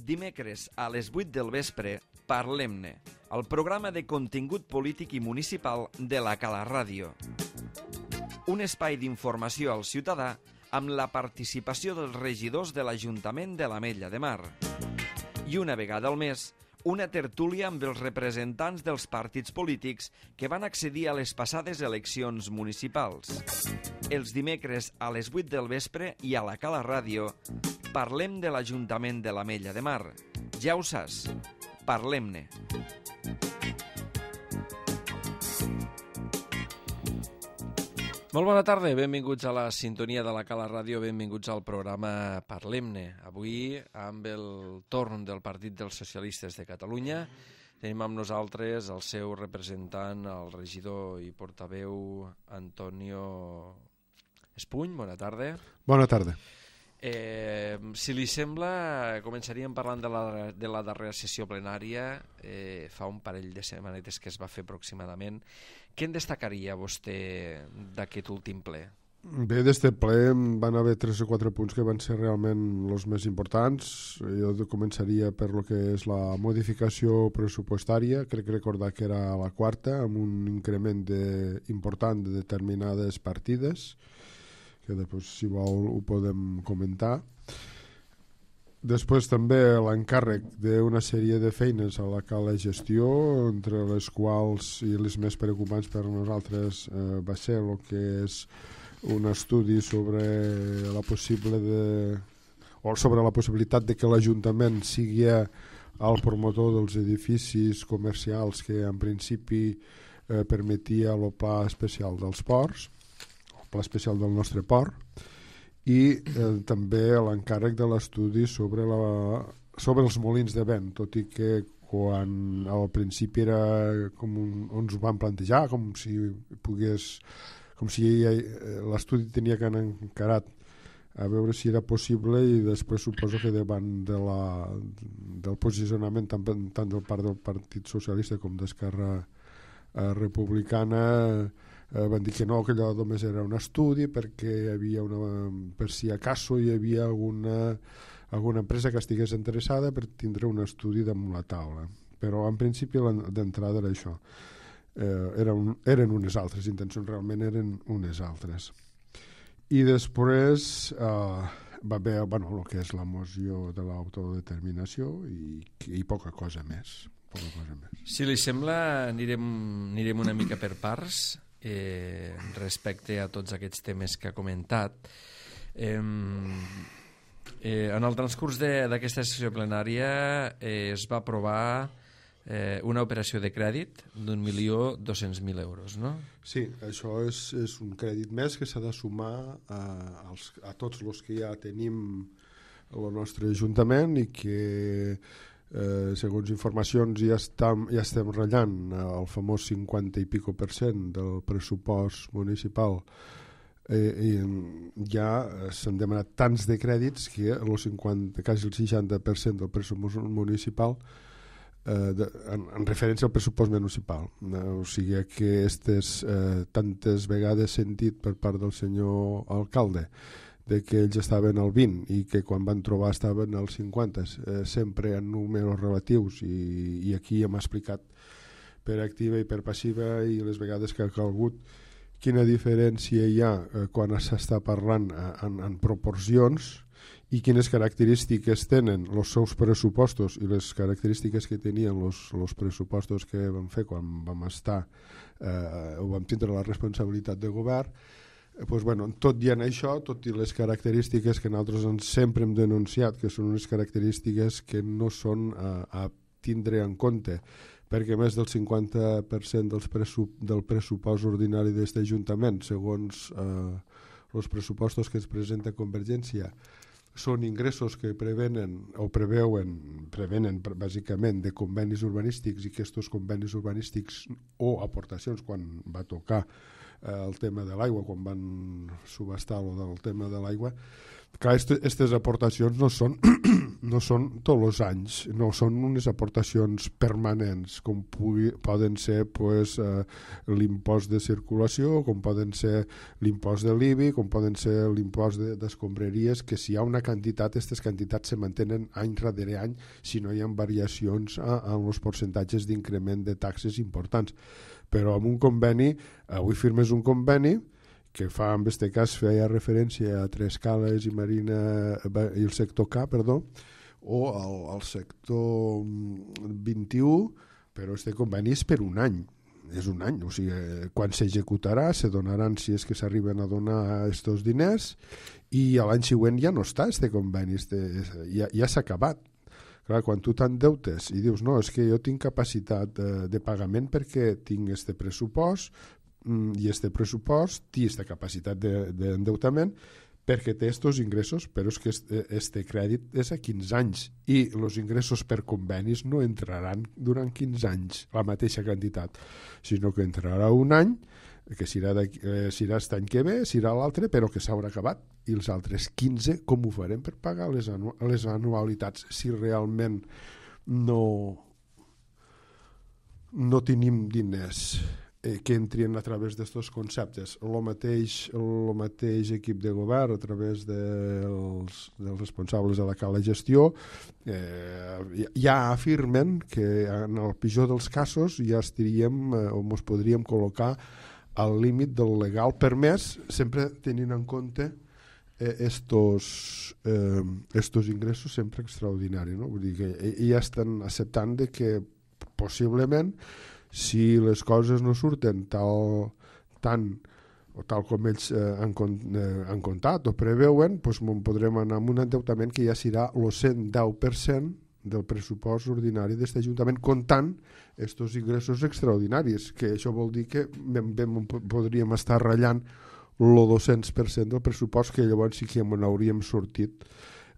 Dimecres a les 8 del vespre, Parlem-ne, el programa de contingut polític i municipal de la Cala Ràdio. Un espai d'informació al ciutadà amb la participació dels regidors de l'Ajuntament de l'Ametlla de Mar. I una vegada al mes, una tertúlia amb els representants dels partits polítics que van accedir a les passades eleccions municipals. Els dimecres a les 8 del vespre i a la Cala Ràdio parlem de l'Ajuntament de l'Ametlla de Mar. Ja ho saps, parlem-ne. Molt bona tarda, benvinguts a la sintonia de la Cala Ràdio, benvinguts al programa Parlem-ne. Avui, amb el torn del Partit dels Socialistes de Catalunya, tenim amb nosaltres el seu representant, el regidor i portaveu Antonio Espuny. Bona tarda. Bona tarda. Si li sembla, començaríem parlant de la darrera sessió plenària, fa un parell de setmanetes que es va fer aproximadament. Què en destacaria vostè d'aquest últim ple? Bé, d'este ple van haver 3 o 4 punts que van ser realment els més importants. Jo començaria per lo que és la modificació pressupostària, crec recordar que era la quarta, amb un increment important de determinades partides, que després, si vol, ho podem comentar. Després també l'encàrrec d'una sèrie de feines a la Cala Gestió, entre les quals i les més preocupants per nosaltres va ser el que és un estudi sobre la possibilitat de que l'Ajuntament sigui el promotor dels edificis comercials que en principi permetia el pla especial dels ports, pla especial del nostre port, i també l'encàrrec de l'estudi sobre els molins de vent, tot i que quan al principi era com ens ho van plantejar, com si l'estudi tenia que anar encarat a veure si era possible, i després suposo que davant del posicionament tant del part del Partit Socialista com d'Esquerra Republicana van dir que no, que allò només era un estudi perquè hi havia per si acaso hi havia alguna empresa que estigués interessada per tindre un estudi damunt la taula, però en principi d'entrada era això, eren unes altres intencions, realment eren unes altres. I després va haver el que és la moció de l'autodeterminació i poca cosa més. Si li sembla, anirem una mica per parts respecte a tots aquests temes que ha comentat. En el transcurs d'aquesta sessió plenària es va aprovar una operació de crèdit d'1.200.000 euros, no? Sí, això és un crèdit més que s'ha de sumar a tots els que ja tenim el nostre Ajuntament i que segons informacions ja estem ratllant el famós 50 i pico % del pressupost municipal, i ja s'han demanat tants de crèdits que quasi el 60% del pressupost municipal en referència al pressupost municipal, o sigui que tantes vegades sentit per part del senyor alcalde de que ells estaven al 20 i que quan van trobar estaven al 50, sempre en números relatius, i aquí hem explicat per activa i per passiva i les vegades que ha calgut quina diferència hi ha quan s'està parlant en proporcions i quines característiques tenen els seus pressupostos i les característiques que tenien els pressupostos que vam fer quan vam tindre la responsabilitat de govern. Tot i en això, tot i les característiques que nosaltres sempre hem denunciat, que són unes característiques que no són a tindre en compte, perquè més del 50% del pressupost ordinari d'aquest Ajuntament, segons els pressupostos que es presenta Convergència, són ingressos que prevenen bàsicament de convenis urbanístics, i que aquests convenis urbanístics o aportacions quan va tocar el tema de l'aigua, quan van subhastar el tema de l'aigua. Clar, aquestes aportacions no són no són tots els anys, no són unes aportacions permanents, com poden ser pues, l'impost de circulació, com poden ser l'impost de l'IBI, com poden ser l'impost d'escombraries, que si hi ha una quantitat, aquestes quantitats se mantenen any darrere any si no hi ha variacions en els percentatges d'increment de taxes importants. Però amb un conveni, avui firmes un conveni que fa, en aquest cas, feia referència a Trescales i Marina i el sector K, perdó, o al sector 21, però aquest conveni és per un any. És un any, o sigui, quan s'executarà, se donaran, si és que s'arriben a donar aquests diners, i l'any següent ja no està aquest conveni, ja s'ha acabat. Clar, quan tu t'endeutes i dius, no, és que jo tinc capacitat de pagament perquè tinc aquest pressupost, i este pressupost té aquesta capacitat d'endeutament perquè té aquests ingressos, però és que este crèdit és a 15 anys i els ingressos per convenis no entraran durant 15 anys la mateixa quantitat, sinó que entrarà un any, que serà aquest any que ve, serà l'altre, però que s'haurà acabat, i els altres 15 com ho farem per pagar les anualitats si realment no tenim diners que entrin a través d'aquests conceptes. El mateix equip de govern, a través dels responsables de la cala gestió, ja afirmen que en el pitjor dels casos ja estaríem o ens podríem col·locar al límit del legal permès, sempre tenint en compte estos ingressos sempre extraordinaris, no? Vull dir que ja estan acceptant de que possiblement si les coses no surten tal com ells han comptat o preveuen, doncs podrem anar amb un endeutament que ja serà el 110% del pressupost ordinari d'aquest Ajuntament, comptant aquests ingressos extraordinaris, que això vol dir que podríem estar ratllant el 200% del pressupost, que llavors sí que n'hauríem sortit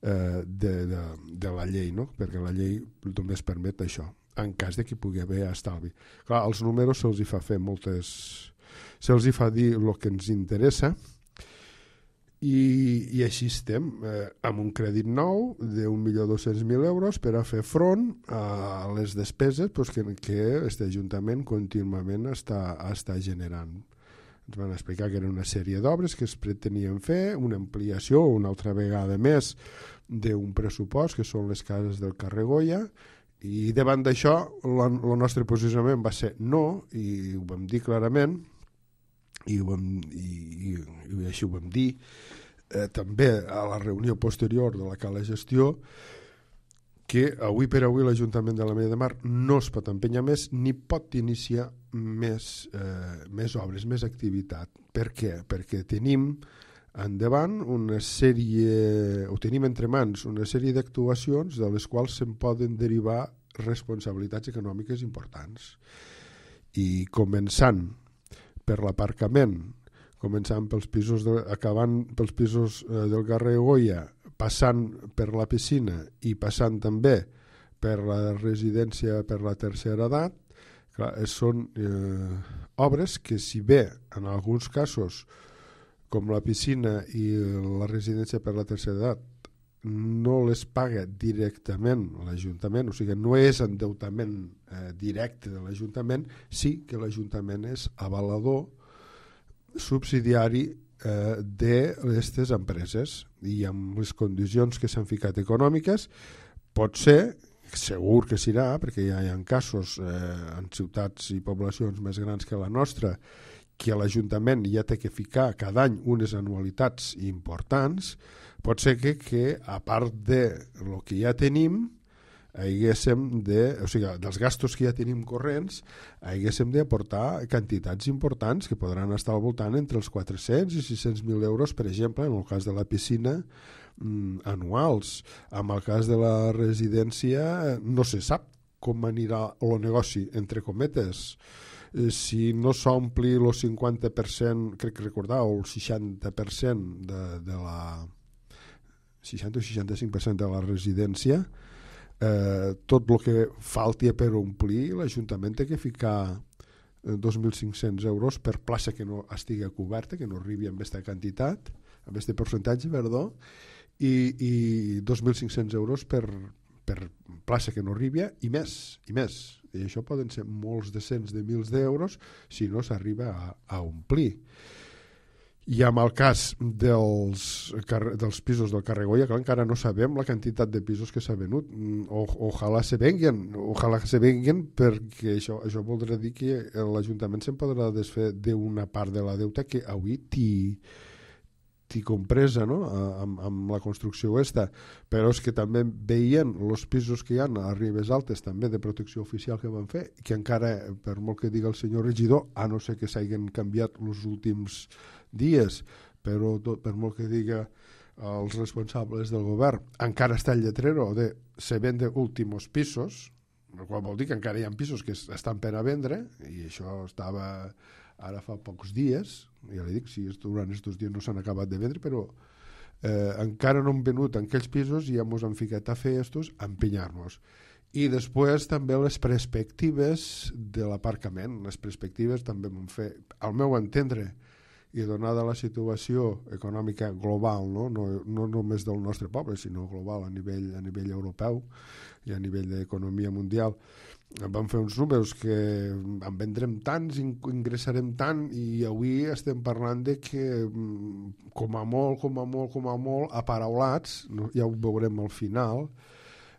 de la llei, no? Perquè la llei només permet això, en cas de que pugui haver estalvi. Clar, als números se'ls hi fa fer se'ls hi fa dir el que ens interessa, i així estem, amb un crèdit nou d'1.200.000 euros per a fer front a les despeses que aquest Ajuntament contínuament està generant. Ens van explicar que era una sèrie d'obres que es pretenien fer, una ampliació una altra vegada més d'un pressupost, que són les cases del carrer Goya, i davant d'això el nostre posicionament va ser no, i ho vam dir clarament, i així ho vam dir també a la reunió posterior de la cala gestió, que avui per avui l'Ajuntament de l'Ametlla de Mar no es pot empènyer més ni pot iniciar més obres, més activitat. Per què? Perquè tenim endavant una sèrie, o tenim entre mans una sèrie d'actuacions de les quals se'n poden derivar responsabilitats econòmiques importants. I començant per l'aparcament, començant pels pisos acabant pels pisos del carrer Goya, passant per la piscina i passant també per la residència per la tercera edat, clar, són obres que, si bé en alguns casos com la piscina i la residència per la tercera edat no les paga directament l'Ajuntament, o sigui, no és endeutament directe de l'Ajuntament, sí que l'Ajuntament és avalador subsidiari d'aquestes empreses, i amb les condicions que s'han ficat econòmiques pot ser, segur que serà, perquè ja hi ha casos en ciutats i poblacions més grans que la nostra, que l'Ajuntament ja té que ficar cada any unes anualitats importants, pot ser que a part de lo que ja tenim, o sigui, dels gastos que ja tenim corrents, haguéssim d'aportar quantitats importants que podran estar al voltant entre els 400 i 600.000 euros, per exemple, en el cas de la piscina, anuals. En el cas de la residència no se sap com anirà el negoci, entre cometes. Si no s'ompli el 50%, crec recordar, o el 60% de la 60 o 65% de la residència, tot el que falti per omplir, l'Ajuntament té que ficar 2.500 euros per plaça que no estigui coberta, que no arribi amb aquesta quantitat, amb aquest percentatge, perdó, i 2.500 euros per plaça que no arribi i més. I això poden ser molts decents de mils d'euros si no s'arriba a omplir. I en el cas dels pisos del carrer Goya, clar, encara no sabem la quantitat de pisos que s'ha venut. Ojalà se venguen, perquè això voldrà dir que l'Ajuntament se'n podrà desfer d'una part de la deuta que avui t'hi compresa, no? amb la construcció aquesta. Però és que també veien els pisos que hi ha a Ribes Altes també de protecció oficial que van fer, que encara, per molt que diga el senyor regidor, a no ser que s'hagin canviat els últims dies, però per molt que diga els responsables del govern, encara està el lletrero de se vende últimos pisos, el qual vol dir que encara hi ha pisos que estan per a vendre, i això estava ara fa pocs dies, ja li dic, si durant aquests dies no s'han acabat de vendre, però encara no han venut en aquells pisos i ja ens han ficat a fer estos, a empenyar-nos. I després també les perspectives de l'aparcament. Les perspectives també van fer, al meu entendre, i donada la situació econòmica global, no només del nostre poble, sinó global a nivell europeu i a nivell d'economia mundial, vam fer uns números que en vendrem tants, ingressarem tant, i avui estem parlant de que com a molt aparaulats, ja ho veurem al final,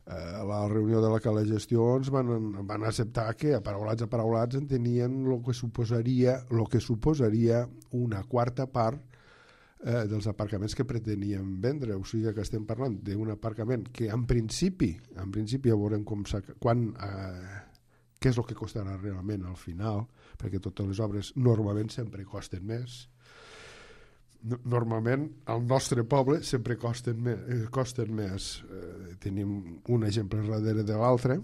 a la reunió de la Cala de Gestió ens van acceptar que aparaulats entenien el que suposaria una quarta part dels aparcaments que pretenien vendre. O sigui que estem parlant d'un aparcament que en principi ja veurem què és el que costarà realment al final, perquè totes les obres normalment sempre costen més. Normalment al nostre poble sempre costen més. Tenim un exemple darrere de l'altre.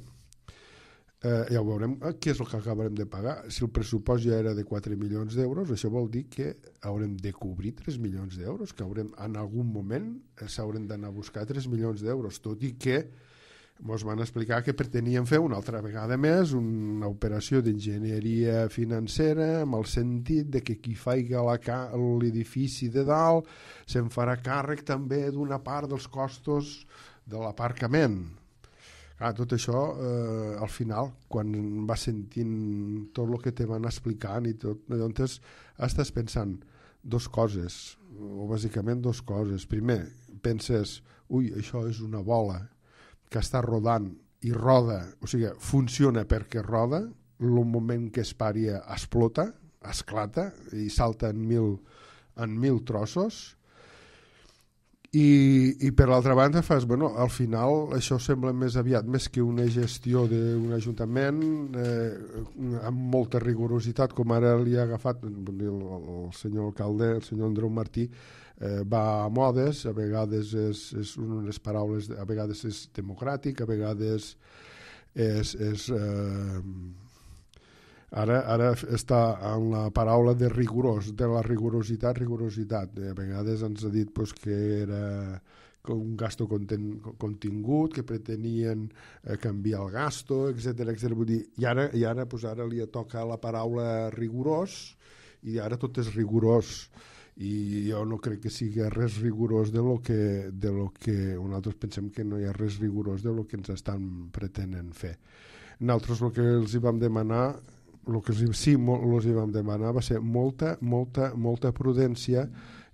Ja ho veurem què és el que acabarem de pagar. Si el pressupost ja era de 4 milions d'euros, això vol dir que haurem de cobrir 3 milions d'euros, que en algun moment s'haurem d'anar a buscar 3 milions d'euros, tot i que ens van explicar que pretenien fer una altra vegada més una operació d'enginyeria financera amb el sentit de que qui faci l'edifici de dalt se'n farà càrrec també d'una part dels costos de l'aparcament. Tot això, al final, quan va sentint tot el que te van explicant i tot, llavors estàs pensant dues coses, o bàsicament dues coses. Primer, penses, això és una bola que està rodant i roda, o sigui, funciona perquè roda, el moment que es pari explota, esclata i salta en mil trossos, i per l'altra banda fas, al final això sembla més aviat, més que una gestió d'un ajuntament amb molta rigorositat, com ara li ha agafat el senyor alcalde, el senyor Andreu Martí, va a modes, a vegades és unes paraules, a vegades és democràtic, a vegades és ara està en la paraula de rigorós, de la rigorositat. A vegades ens ha dit que era un gasto contingut, que pretenien canviar el gasto, etc. I ara li toca la paraula rigorós, i ara tot és rigorós, i jo no crec que sigui res rigorós de lo que nosaltres pensem que no hi ha res rigorós de lo que ens estan pretenent fer. Nosaltres el que els hi vam demanar va ser molta prudència,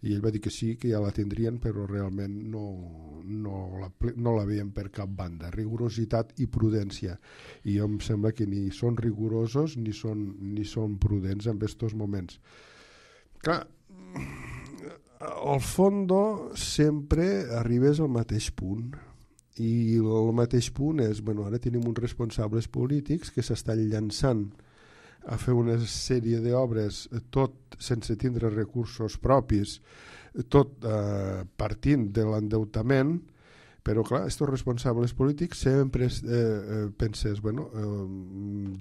i ell va dir que sí, que ja la tindrien, però realment no la veiem per cap banda. Rigorositat i prudència, i jo em sembla que ni són rigorosos ni són prudents en aquests moments. Clar, al fons sempre arribes al mateix punt, i el mateix punt és, ara tenim uns responsables polítics que s'estan llançant a fer una sèrie d'obres, tot sense tindre recursos propis, tot partint de l'endeutament, però clar, aquests responsables polítics sempre penses,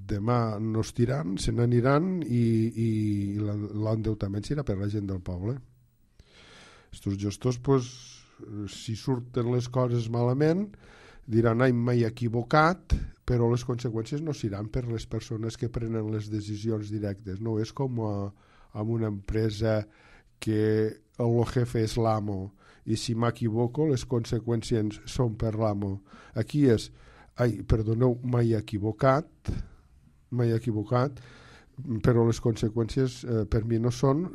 demà no es tiran, se n'aniran i l'endeutament serà per la gent del poble. Estos gestors, si surten les coses malament, diran, m'he equivocat, però les conseqüències no seran per les persones que prenen les decisions directes. No és com amb una empresa que el jefe és l'amo i si m'equivoco les conseqüències són per l'amo. Aquí és, perdoneu, m'he equivocat, però les conseqüències per mi no són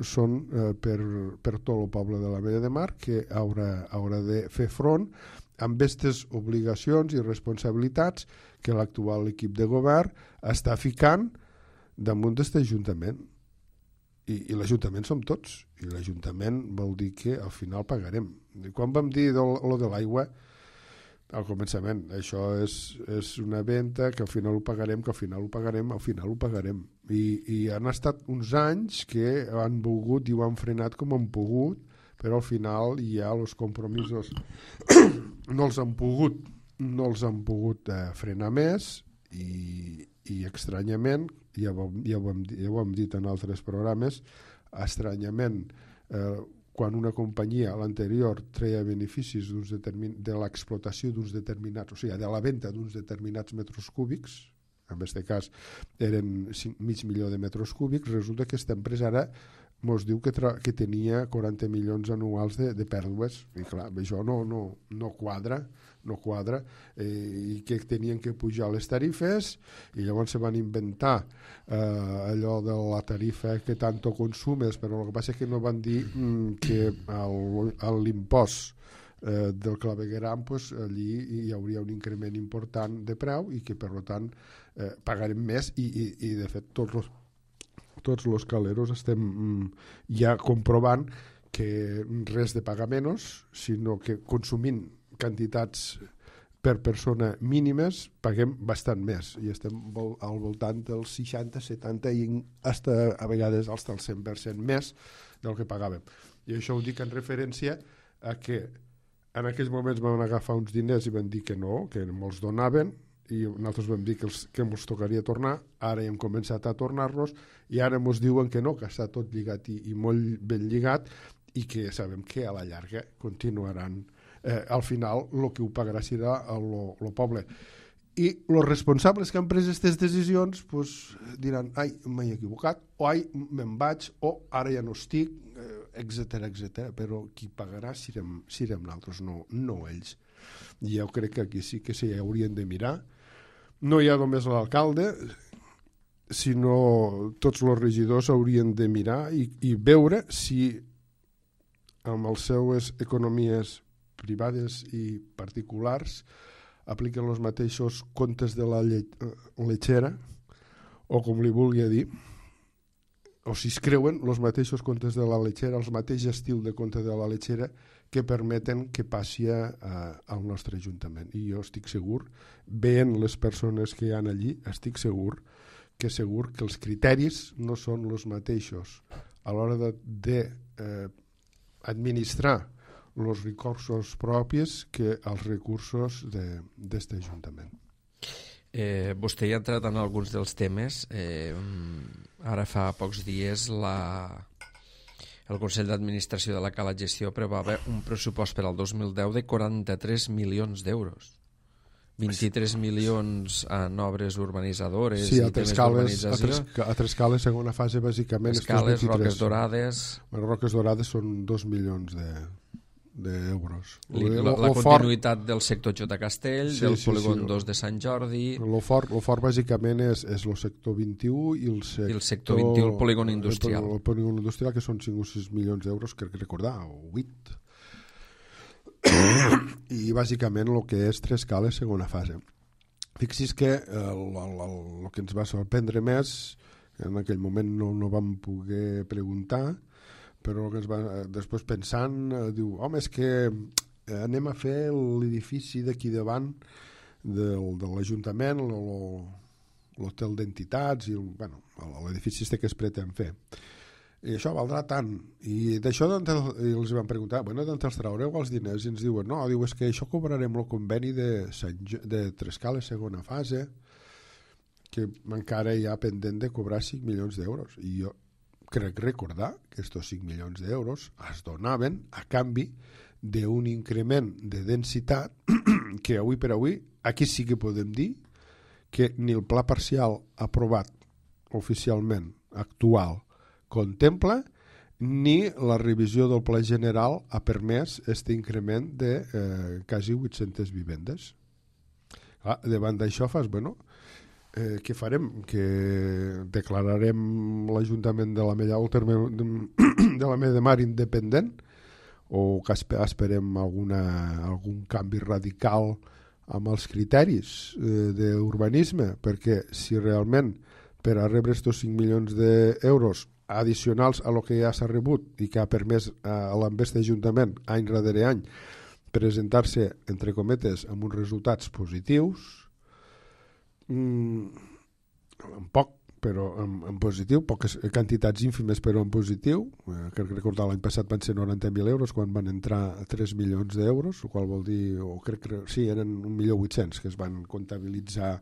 per tot el poble de la Vella de Mar, que haurà de fer front amb aquestes obligacions i responsabilitats que l'actual equip de govern està ficant damunt d'aquest Ajuntament. I l'Ajuntament som tots, i l'Ajuntament vol dir que al final pagarem. I quan vam dir lo de l'aigua, al començament, això és una venda que al final ho pagarem, I han estat uns anys que han volgut i ho han frenat com han pogut, però al final ja els compromisos no els han pogut frenar més i estranyament, ja ho hem dit en altres programes, estranyament, quan una companyia, l'anterior, treia beneficis de l'explotació d'uns determinats, o sigui, de la venda d'uns determinats metres cúbics, en aquest cas eren 5.500.000 de metres cúbics, resulta que aquesta empresa ara ens diu que tenia 40 milions anuals de pèrdues, i clar, això no quadra, i que tenien que pujar les tarifes, i llavors se van inventar allò de la tarifa que tanto consumes, però el que passa és que no van dir que l'impost del clavegueram, allí hi hauria un increment important de preu i que per tant pagarem més i de fet tots els caleros estem ja comprovant que res de pagar menys, sinó que consumint quantitats per persona mínimes paguem bastant més i estem al voltant dels 60, 70 i a vegades als del 100% més del que pagàvem. I això ho dic en referència a que en aquells moments vam agafar uns diners i vam dir que no, que me'ls donaven, i nosaltres vam dir que ens tocaria tornar, ara hem començat a tornar-los i ara ens diuen que no, que està tot lligat i molt ben lligat i que sabem que a la llarga continuaran. Al final el que ho pagarà serà el poble. I els responsables que han pres aquestes decisions diran, m'he equivocat, o me'n vaig, o ara ja no estic, etc. Però qui pagarà serem nosaltres, no ells. I jo crec que aquí sí que s'hi haurien de mirar. No hi ha només l'alcalde, sinó tots els regidors haurien de mirar i veure si amb les seues economies privades i particulars apliquen els mateixos comptes de la lletxera, o com li vulgui dir, o si es creuen els mateixos comptes de la lletxera, el mateix estil de compte de la lletxera que permeten que passi al nostre Ajuntament. I jo estic segur, veient les persones que hi ha allí, estic segur que els criteris no són els mateixos a l'hora d'administrar els recursos propis que els recursos d'aquest Ajuntament. Vostè ja ha entrat en alguns dels temes. Ara fa pocs dies el Consell d'Administració de la Cala Gestió prevava un pressupost per al 2010 de 43 milions d'euros. 23 milions en obres urbanitzadores i temes d'urbanització. A Trescales, segona fase, bàsicament... Escales, Roques Dorades... Roques Dorades són 2 milions d'euros. La continuïtat del sector J. Castell, del polígon 2 de Sant Jordi... El fort bàsicament és el sector 21 i el sector 21, el polígon industrial. El polígon industrial, que són 5 o 6 milions d'euros, crec recordar, o 8. I bàsicament el que és Trescales, segona fase. Fixis que el que ens va sorprendre més, en aquell moment no vam poder preguntar, però que després pensant, diu, home, és que anem a fer l'edifici d'aquí davant de l'Ajuntament, l'hotel d'entitats, i l'edifici que es pretén fer. I això valdrà tant. I d'això els van preguntar, d'on els traureu els diners? I ens diuen, no, és que això cobrarem el conveni de Trescales, segona fase, que encara hi ha pendent de cobrar 5 milions d'euros. I jo crec recordar que aquests 5 milions d'euros es donaven a canvi d'un increment de densitat que avui per avui aquí sí que podem dir que ni el pla parcial aprovat oficialment actual contempla, ni la revisió del pla general ha permès aquest increment de quasi 800 vivendes. Davant d'això fas, què farem? Que declararem l'Ajuntament de l'Ametlla o el terme de l'Ametlla de Mar independent, o que esperem algun canvi radical amb els criteris d'urbanisme? Perquè si realment per a rebre estos 5 milions d'euros addicionals a lo que ja s'ha rebut i que ha permès a l'Ambest Ajuntament any darrere any presentar-se, entre cometes, amb uns resultats positius, en poc, però en positiu, poques quantitats ínfimes però en positiu, crec que recordar l'any passat van ser 90.000 euros quan van entrar 3 milions d'euros, el qual vol dir, o crec que sí, eren 1.800.000 que es van comptabilitzar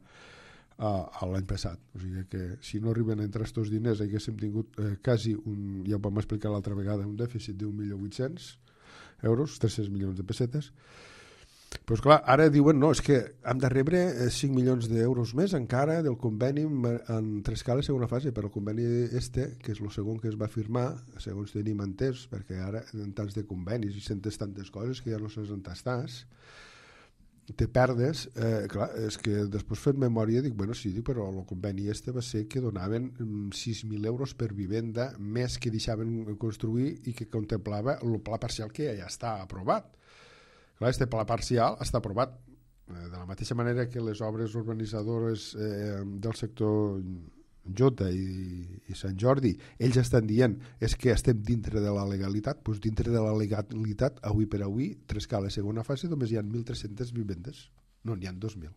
l'any passat. O sigui que si no arriben a entrar aquests diners haguéssim tingut quasi ja ho vam explicar l'altra vegada, un dèficit d'1.800.000 euros, 300 milions de pessetes. Però esclar, ara diuen no, és que hem de rebre 5 milions d'euros més encara del conveni en Trescales segona fase, però el conveni que és el segon que es va firmar, segons tenim entès, perquè ara en tants de convenis i sentes tantes coses que ja no saps on estàs, te perdes, clar, és que després fent memòria dic, sí, però el conveni va ser que donaven 6.000 euros per vivenda més que deixaven construir i que contemplava el pla parcial que ja està aprovat. Clar, este pla parcial està aprovat de la mateixa manera que les obres urbanitzadores del sector Jota i Sant Jordi, ells estan dient és que estem dintre de la legalitat. Doncs dintre de la legalitat, avui per avui, Trescales segona fase només hi ha 1.300 vivendes, no n'hi ha 2.000.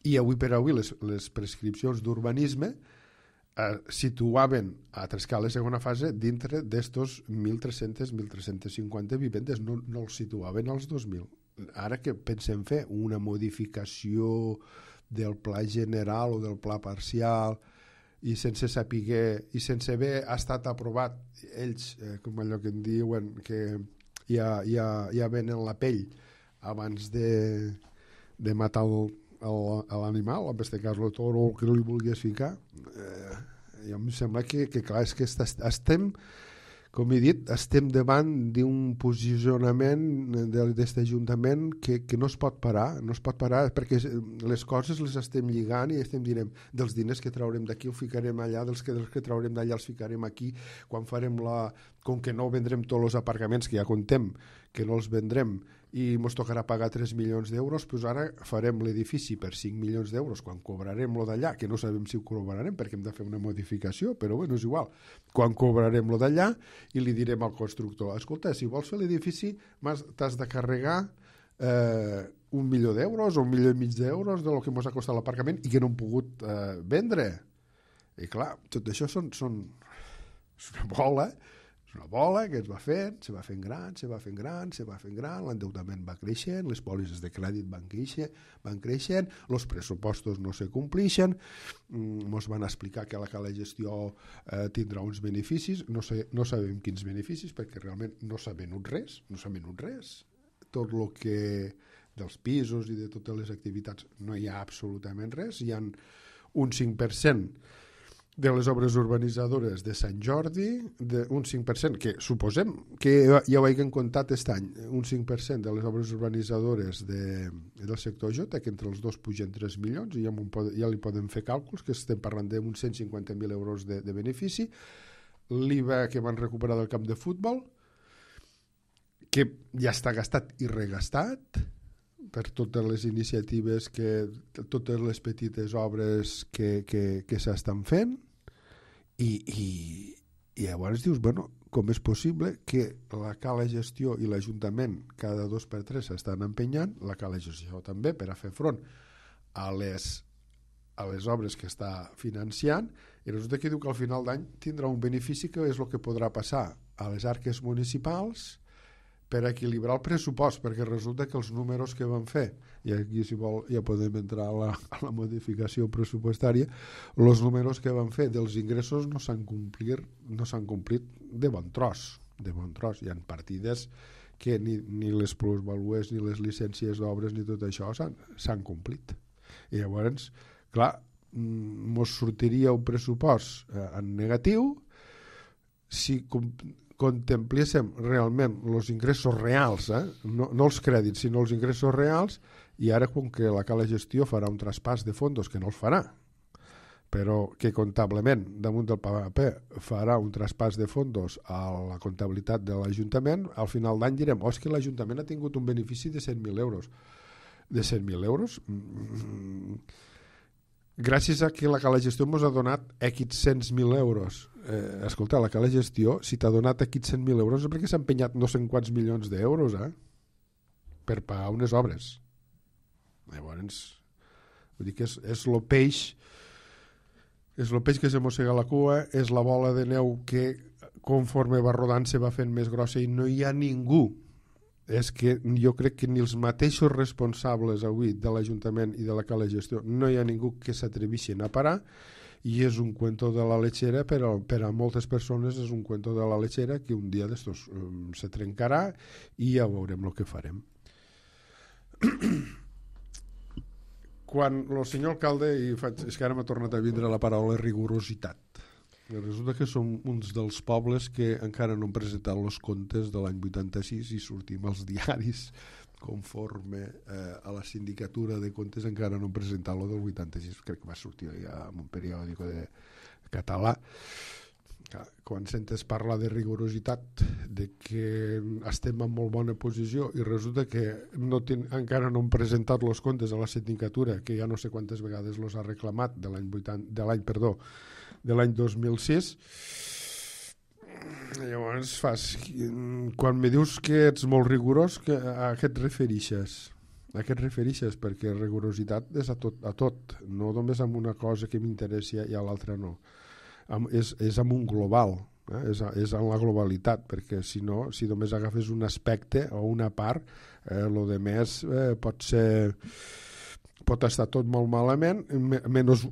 I avui per avui les prescripcions d'urbanisme situaven a Trescales segona fase dintre d'estos 1.300, 1.350 vivendes, no els situaven als 2.000. Ara que pensem fer una modificació del pla general o del pla parcial i sense saber i sense haver estat aprovat ells, com allò que en diuen que ja venen la pell abans de matar l'animal, en aquest cas el toro o el que li volgués ficar, jo em sembla que clar, és que estem, com he dit, estem davant d'un posicionament d'aquest Ajuntament que no es pot parar, perquè les coses les estem lligant i estem dient dels diners que traurem d'aquí ho ficarem allà, dels que traurem d'allà els ficarem aquí, quan farem com que no vendrem tots els aparcaments que ja contem que no els vendrem i ens tocarà pagar 3 milions d'euros, doncs ara farem l'edifici per 5 milions d'euros quan cobrarem lo d'allà, que no sabem si ho cobrarem perquè hem de fer una modificació, però és igual, quan cobrarem lo d'allà i li direm al constructor, escolta, si vols fer l'edifici t'has de carregar 1 milió d'euros o 1,5 milions d'euros del que ens ha costat l'aparcament i que no hem pogut vendre. I clar, tot això és una bola que es va fent, se va fent gran, l'endeutament va creixent, les pòlisses de crèdit van creixent, els pressupostos no se complixen, ens van explicar que la gestió tindrà uns beneficis, no sabem quins beneficis perquè realment no s'ha venut res, tot el que dels pisos i de totes les activitats no hi ha absolutament res, hi ha un 5% de les obres urbanitzadores de Sant Jordi, un 5%, que suposem que ja ho hagin comptat aquest any, un 5% de les obres urbanitzadores del sector Jota, que entre els dos pugen 3 milions, i ja li podem fer càlculs, que estem parlant d'uns 150.000 euros de benefici, l'IVA que van recuperar del camp de futbol, que ja està gastat i regastat, per totes les iniciatives, totes les petites obres que s'estan fent, i llavors dius, com és possible que la cala gestió i l'Ajuntament cada 2 per 3 s'estan empenyant, la cala gestió també per a fer front a les obres que està financiant, i resulta que diu que al final d'any tindrà un benefici que és el que podrà passar a les arques municipals per equilibrar el pressupost, perquè resulta que els números que van fer, i aquí si vol ja podem entrar a la modificació pressupostària, els números que van fer dels ingressos no s'han complit de bon tros. Hi ha partides que ni les plusvalues, ni les llicències d'obres, ni tot això s'han complit. I llavors, clar, mos sortiria un pressupost en negatiu si contempléssim realment els ingressos reals, no els crèdits, sinó els ingressos reals, i ara com que la Cala Gestió farà un traspàs de fondos, que no els farà, però que comptablement, damunt del paper, farà un traspàs de fondos a la comptabilitat de l'Ajuntament, al final d'any direm, és que l'Ajuntament ha tingut un benefici de 100.000 euros. De 100.000 euros? Gràcies a que la Cala Gestió ens ha donat aquests 100.000 euros. Escolta, la Cala Gestió, si t'ha donat aquests 100.000 euros és perquè s'ha empenyat no sé quants milions d'euros, per pagar unes obres. Llavors, vull dir que és el peix... És el peix que se mossega la cua, és la bola de neu que conforme va rodant se va fent més grossa i no hi ha ningú. És que jo crec que ni els mateixos responsables avui de l'Ajuntament i de la Cala Gestió no hi ha ningú que s'atreveixin a parar, i és un cuento de la lechera, però per a moltes persones és un cuento de la lechera que un dia d'estos se trencarà i ja veurem el que farem. Quan el senyor alcalde, és que ara m'ha tornat a vindre la paraula rigorositat, resulta que som uns dels pobles que encara no han presentat els comptes de l'any 86 i sortim als diaris conforme a la sindicatura de comptes encara no han presentat lo del 86, crec que va sortir ja en un periòdic de català. Quan sentes parlar de rigorositat, de que estem en molt bona posició i resulta que encara no han presentat els comptes a la sindicatura, que ja no sé quantes vegades els ha reclamat de l'any 2006. Llavors quan me dius que ets molt rigorós, a què et referixes? A què et referixes? Perquè rigorositat és a tot, no només amb una cosa que m'interessi i a l'altra no. És amb un global, és en la globalitat, perquè si no, si només agafes un aspecte o una part, lo de més pot estar tot molt malament, menys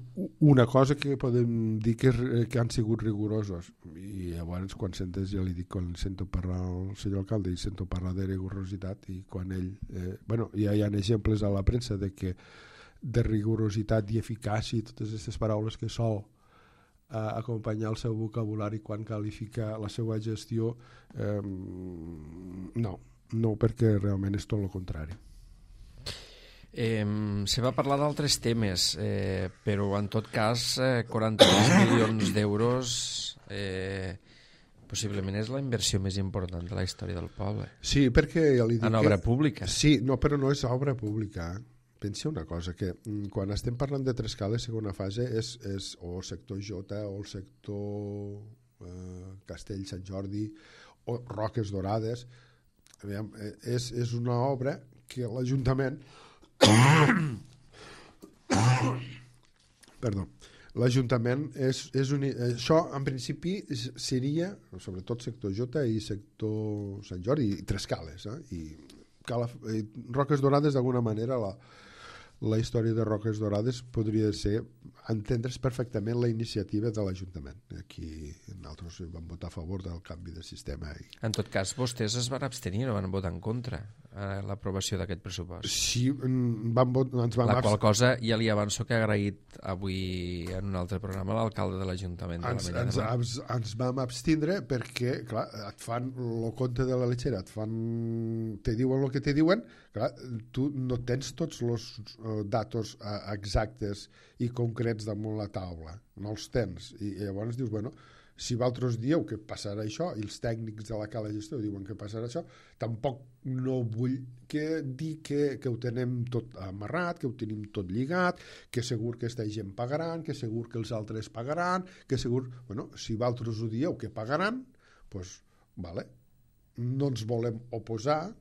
una cosa que podem dir que han sigut rigorosos. I llavors quan sentes, ja li dic, quan sento parlar el senyor alcalde i sento parlar de rigorositat, i quan ell, ja hi ha exemples a la premsa de rigorositat i eficàcia i totes aquestes paraules que sol acompanyar el seu vocabulari quan qualifica la seva gestió, no, perquè realment és tot el contrari. Se va parlar d'altres temes, però en tot cas 43 milions d'euros possiblement és la inversió més important de la història del poble. Sí, perquè ja li dic en obra pública. Sí, no, però no és obra pública. Pensa una cosa, que quan estem parlant de Trescales, segona fase és o el sector Jota o el sector Castell Sant Jordi o Roques Dorades. Aviam, és una obra que l'Ajuntament l'Ajuntament això en principi seria sobretot sector Jota i sector Sant Jordi i Trescales, i Roques Dorades d'alguna manera la història de Roques Dorades podria ser entendre's perfectament la iniciativa de l'Ajuntament. Aquí nosaltres vam votar a favor del canvi de sistema. En tot cas, vostès es van abstenir o van votar en contra a l'aprovació d'aquest pressupost? Sí, ens vam la qual cosa ja li avanço que ha agraït avui en un altre programa l'alcalde de l'Ajuntament de l'Ametlla de Mar. Ens vam abstindre perquè, clar, et fan el compte de la lechera, te diuen el que te diuen, clar, tu no tens tots els datos exactes i concrets damunt la taula, no els tens, i llavors dius, bueno, si vosaltres dieu que passarà això i els tècnics de la Cala Gestió diuen que passarà això, tampoc no vull dir que ho tenem tot amarrat, que ho tenim tot lligat, que segur que aquesta gent pagaran, que segur que els altres pagaran, que segur... Bueno, si vosaltres ho dieu que pagaran, doncs, vale, no ens volem oposar,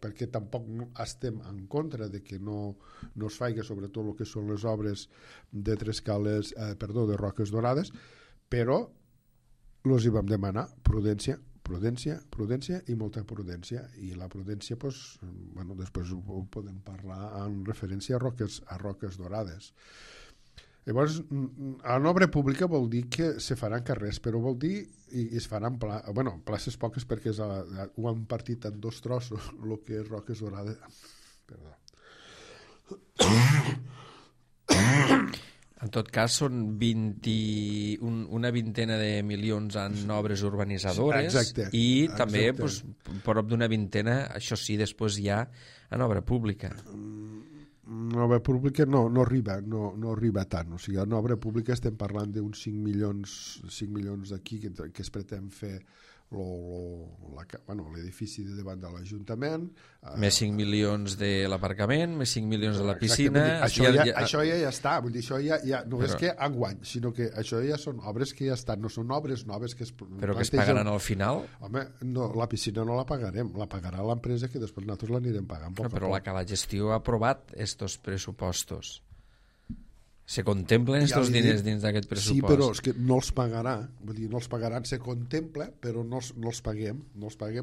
perquè tampoc estem en contra de que no es faci sobretot el que són les obres de de Roques Dorades, però els hi vam demanar prudència i molta prudència, i la prudència després ho podem parlar en referència a Roques Dorades. Llavors, en obra pública vol dir que se faran carrers, però vol dir i es faran places poques perquè ho han partit en dos trossos el que és Roques Dorades. Perdó. En tot cas, són una vintena de milions en obres urbanitzadores. Exacte, i exacte. també doncs, prop d'una vintena, això sí, després ja en obra pública. En obra pública no arriba tant. O sigui, en obra pública estem parlant d'uns 5 milions d'aquí que es pretén fer l'edifici de davant de l'Ajuntament. Més 5 milions de l'aparcament, més 5 milions de la piscina. Això ja està, vull dir, això ja no és que enguany, sinó que això ja són obres que ja estan, no són obres noves que es però que es pagaran al final? Home, no, la piscina no la pagarem, la pagarà l'empresa, que després nosaltres l'anirem pagant poc a poc. Però la Cala Gestió ha aprovat estos pressupostos. Se contemplen estos diners dins d'aquest pressupost? Sí, però és que no els pagarà, vull dir, no els pagaran, se contempla, però no els paguem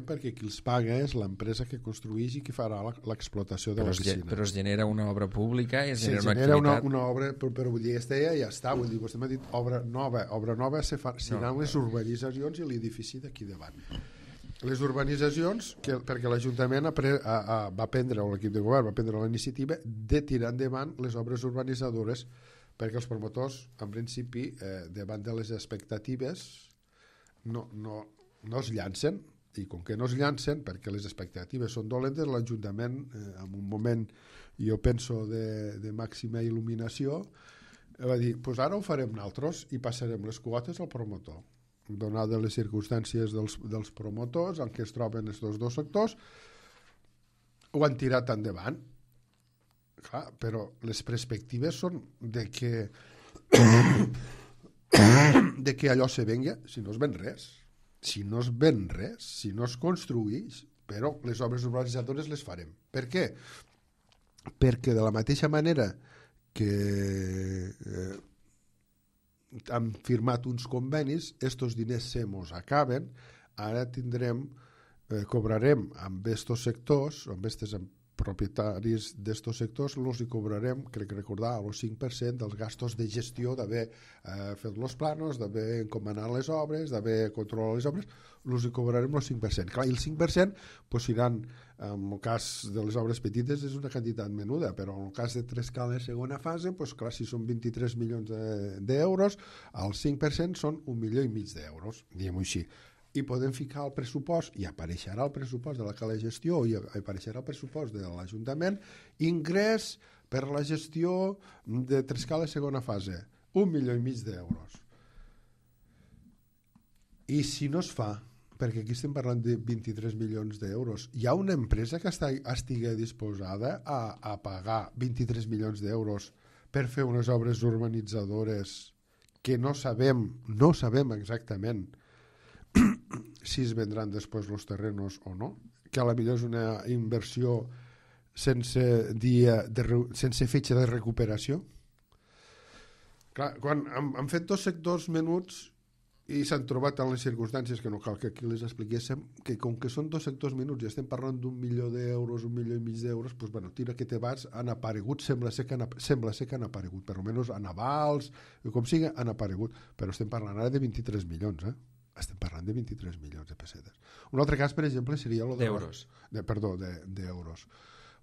perquè qui els paga és l'empresa que construeix i que farà l'explotació de la piscina. Però es genera una obra pública i es genera una activitat. activitat... una obra, però vull dir, ja està, vull dir, vostè m'ha dit obra nova seran les urbanitzacions i l'edifici d'aquí davant. Les urbanitzacions, perquè l'Ajuntament va prendre, o l'equip de govern va prendre la iniciativa de tirar endavant les obres urbanitzadores, perquè els promotors, en principi, davant de les expectatives, no es llancen, i com que no es llancen, perquè les expectatives són dolentes, l'Ajuntament, en un moment, jo penso, de màxima il·luminació, va dir, doncs ara ho farem nosaltres i passarem les quotes al promotor. Donades les circumstàncies dels promotors en què es troben aquests dos sectors, ho han tirat endavant. Clar, però les perspectives són de que allò se venga, si no es ven res, si no es construeix, però les obres urbanitzadores les farem. Per què? Perquè de la mateixa manera que han firmat uns convenis, estos diners se mos acaben, ara cobrarem amb estos sectors, amb aquestes propietaris d'estos sectors, els hi cobrarem, crec recordar, el 5% dels gastos de gestió d'haver fet els planos, d'haver encomanat les obres, d'haver controlat les obres, els hi cobrarem el 5%. Clar, i el 5% pues, iran, en el cas de les obres petites és una quantitat menuda, però en el cas de Trescala segona fase, pues, clar, si són 23 milions d'euros, el 5% són 1,5 milions d'euros, diguem-ho així. I podem ficar al pressupost, i apareixerà el pressupost de la Cala Gestió i apareixerà el pressupost de l'Ajuntament, ingrés per la gestió de Trescala segona fase, 1,5 milions d'euros. I si no es fa, perquè aquí estem parlant de 23 milions d'euros, hi ha una empresa que estigui disposada a pagar 23 milions d'euros per fer unes obres urbanitzadores que no sabem exactament si es vendran després els terrenos o no, que a la millor és una inversió sense fetge de recuperació. Clar, quan han fet dos sectors menuts i s'han trobat en les circumstàncies que no cal que aquí les expliquéssim, que com que són dos sectors menuts i estem parlant d'1 milió d'euros, 1,5 milions d'euros, doncs, bueno, tira que te vas, han aparegut, sembla ser que han aparegut, per almenys a navals, com sigui, han aparegut, però estem parlant ara de 23 milions, estem parlant de 23 milions de pessetes. Un altre cas, per exemple, seria d'euros. D'euros.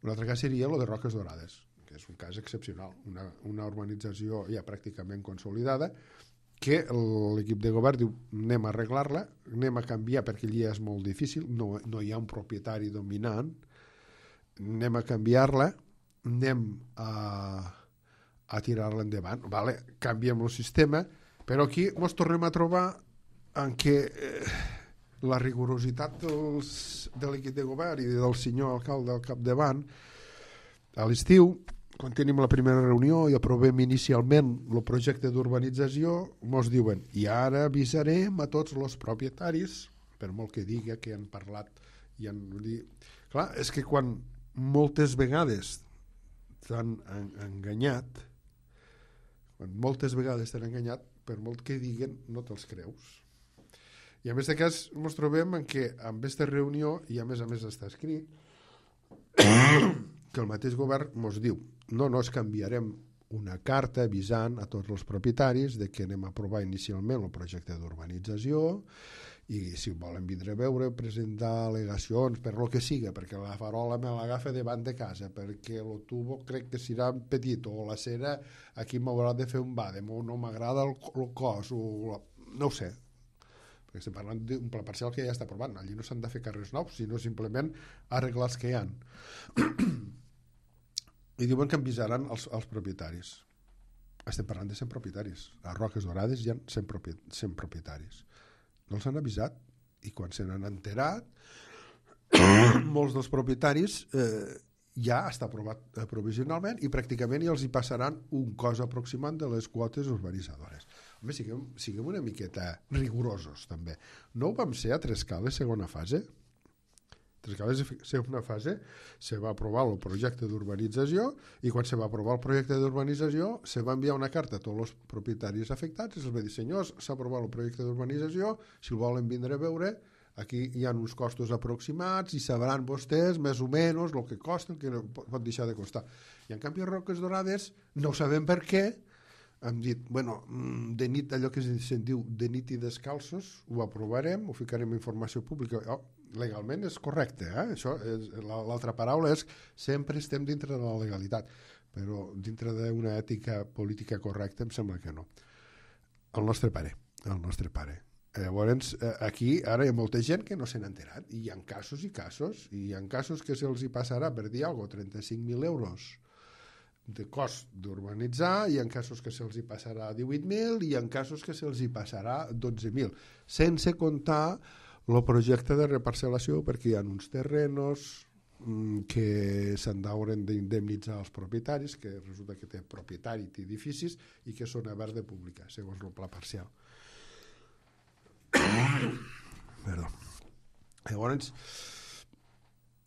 Un altre cas seria el de Roques Dorades, que és un cas excepcional, una urbanització ja pràcticament consolidada, que l'equip de govern diu anem a arreglar-la, anem a canviar perquè allà és molt difícil, no hi ha un propietari dominant, anem a canviar-la, anem a tirar-la endavant, vale, canviem el sistema, però aquí ens tornem a trobar en què la rigorositat de l'equip de govern i del senyor alcalde al capdavant, a l'estiu, quan tenim la primera reunió i aprovem inicialment el projecte d'urbanització, ens diuen, i ara avisarem a tots els propietaris, per molt que diga que han parlat i han dit... Clar, és que quan moltes vegades t'han enganyat, per molt que diguen, no te'ls creus. I en aquest cas ens trobem en què amb aquesta reunió, i a més està escrit, que el mateix govern ens diu no es canviarem una carta avisant a tots els propietaris de que anem a aprovar inicialment el projecte d'urbanització i si volen vindre a veure, presentar al·legacions per lo que siga, perquè la farola me l'agafa davant de casa, perquè el tubo crec que serà petit, o la cera aquí m'haurà de fer un bàdem, o no m'agrada el cos, o no ho sé, perquè estem parlant d'un pla parcial que ja està aprovat, allí no s'han de fer carrers nous, sinó simplement arreglar els que hi ha. I diuen que avisaran els propietaris. Estem parlant de 100 propietaris. A Roques Dorades hi ha 100 propietaris. No els han avisat, i quan se n'han enterat molts dels propietaris ja està aprovat provisionalment i pràcticament ja els hi passaran un cost aproximant de les quotes urbanitzadores. Home, siguem una miqueta rigorosos també. No ho vam ser a Trescales segona fase? Trescales segona fase se va aprovar el projecte d'urbanització i quan se va aprovar el projecte d'urbanització se va enviar una carta a tots els propietaris afectats i els va dir, senyors, s'ha aprovat el projecte d'urbanització, si el volen vindre a veure, aquí hi ha uns costos aproximats i sabran vostès més o menys el que costa, el que no pot deixar de costar. I en canvi a Roques Dorades no sabem per què hem dit, bueno, de nit, allò que se'n diu de nit i descalços, ho aprovarem, ho ficarem en informació pública. Legalment és correcte, això és, l'altra paraula és sempre estem dintre de la legalitat, però dintre d'una ètica política correcta em sembla que no. El nostre pare. Llavors, aquí ara hi ha molta gent que no se n'ha enterat, i hi ha casos i casos, i hi ha casos que se'ls hi passarà, per dir alguna cosa, 35.000 euros de cost d'urbanitzar, hi ha casos que se'ls hi passarà 18.000 i hi ha casos que se'ls hi passarà 12.000, sense comptar el projecte de reparcel·lació, perquè hi ha uns terrenos que s'han d'hauran d'indemnitzar els propietaris, que resulta que té propietari, té edificis i que són oberts de pública, segons el pla parcial. Perdó. Llavors,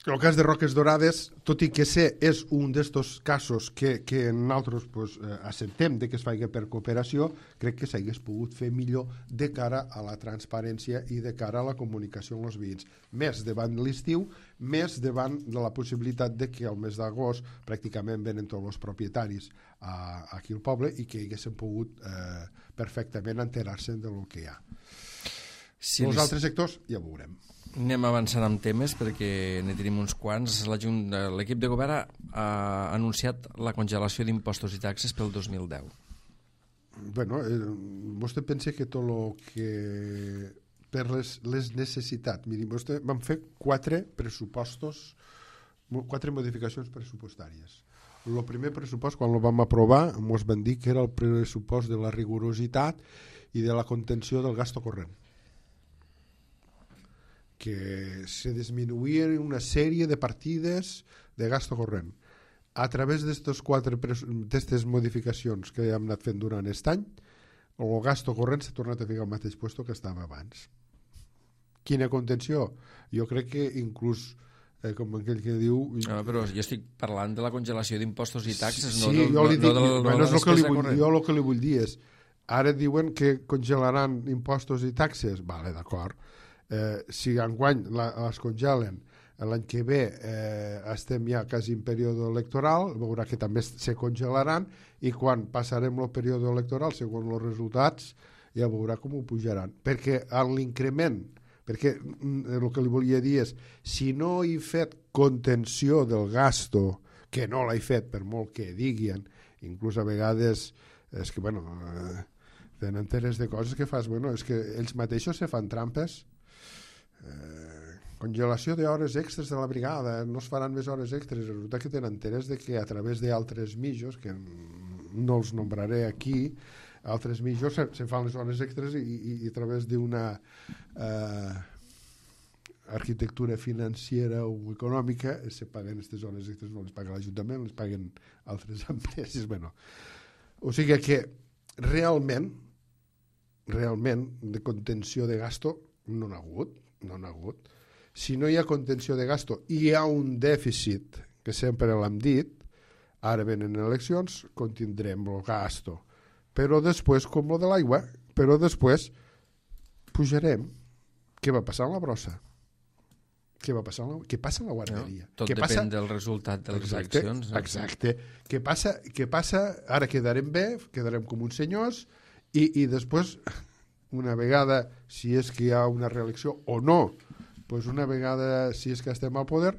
el cas de Roques Dorades, tot i que és un d'estos casos que nosaltres acceptem que es faci per cooperació, crec que s'hagués pogut fer millor de cara a la transparència i de cara a la comunicació amb els veïns. Més davant l'estiu, més davant de la possibilitat de que al mes d'agost pràcticament venen tots els propietaris aquí al poble i que haguessin pogut perfectament enterar-se del que hi ha. Els altres sectors ja ho veurem. Anem avançant amb temes perquè ne tenim uns quants. L'equip de govern ha anunciat la congelació d'impostos i taxes pel 2010. Bueno, vostè pensa que tot el que per les necessitats, miri, vostè vam fer 4 modificacions pressupostàries. El primer pressupost, quan el vam aprovar, ens van dir que era el pressupost de la rigorositat i de la contenció del gasto corrent, que se disminuïen una sèrie de partides de gasto corrent. A través d'aquestes modificacions que hem anat fent durant aquest any, el gasto corrent s'ha tornat a ficar al mateix lloc que estava abans. Quina contenció? Jo crec que inclús, com aquell que diu... Però jo estic parlant de la congelació d'impostos i taxes, sí, jo li dic, jo el que li vull dir és, ara diuen que congelaran impostos i taxes, vale, d'acord. Si enguany es congelen, l'any que ve estem ja quasi en període electoral, veurà que també se congelaran i quan passarem el període electoral, segons els resultats, ja veurà com ho pujaran. Perquè l'increment, perquè el que li volia dir és, si no he fet contenció del gasto, que no l'he fet per molt que diguin, inclús a vegades és que, bueno, tenen teres de coses que fas, bueno, és que ells mateixos se fan trampes. Congelació d'hores extres de la brigada, no es faran més hores extres, resulta que tenen interès de que a través d'altres mitjos, que no els nombraré aquí, altres mitjos se fan les hores extres i a través d'una arquitectura financera o econòmica se paguen aquestes hores extres, no les paga l'Ajuntament, les paguen altres empreses. Bueno, o sigui que realment de contenció de gasto no n'ha hagut. Si no hi ha contenció de gasto i hi ha un dèficit, que sempre l'hem dit, ara venen eleccions, contindrem el gasto. Però després, com el de l'aigua, pujarem. Què va passar amb la brossa? Què passa amb la guarderia? Tot depèn del resultat de les eleccions. Exacte. Què passa? Ara quedarem bé, quedarem com uns senyors i després una vegada, si és que hi ha una reelecció o no, pues una vegada, si és que estem al poder,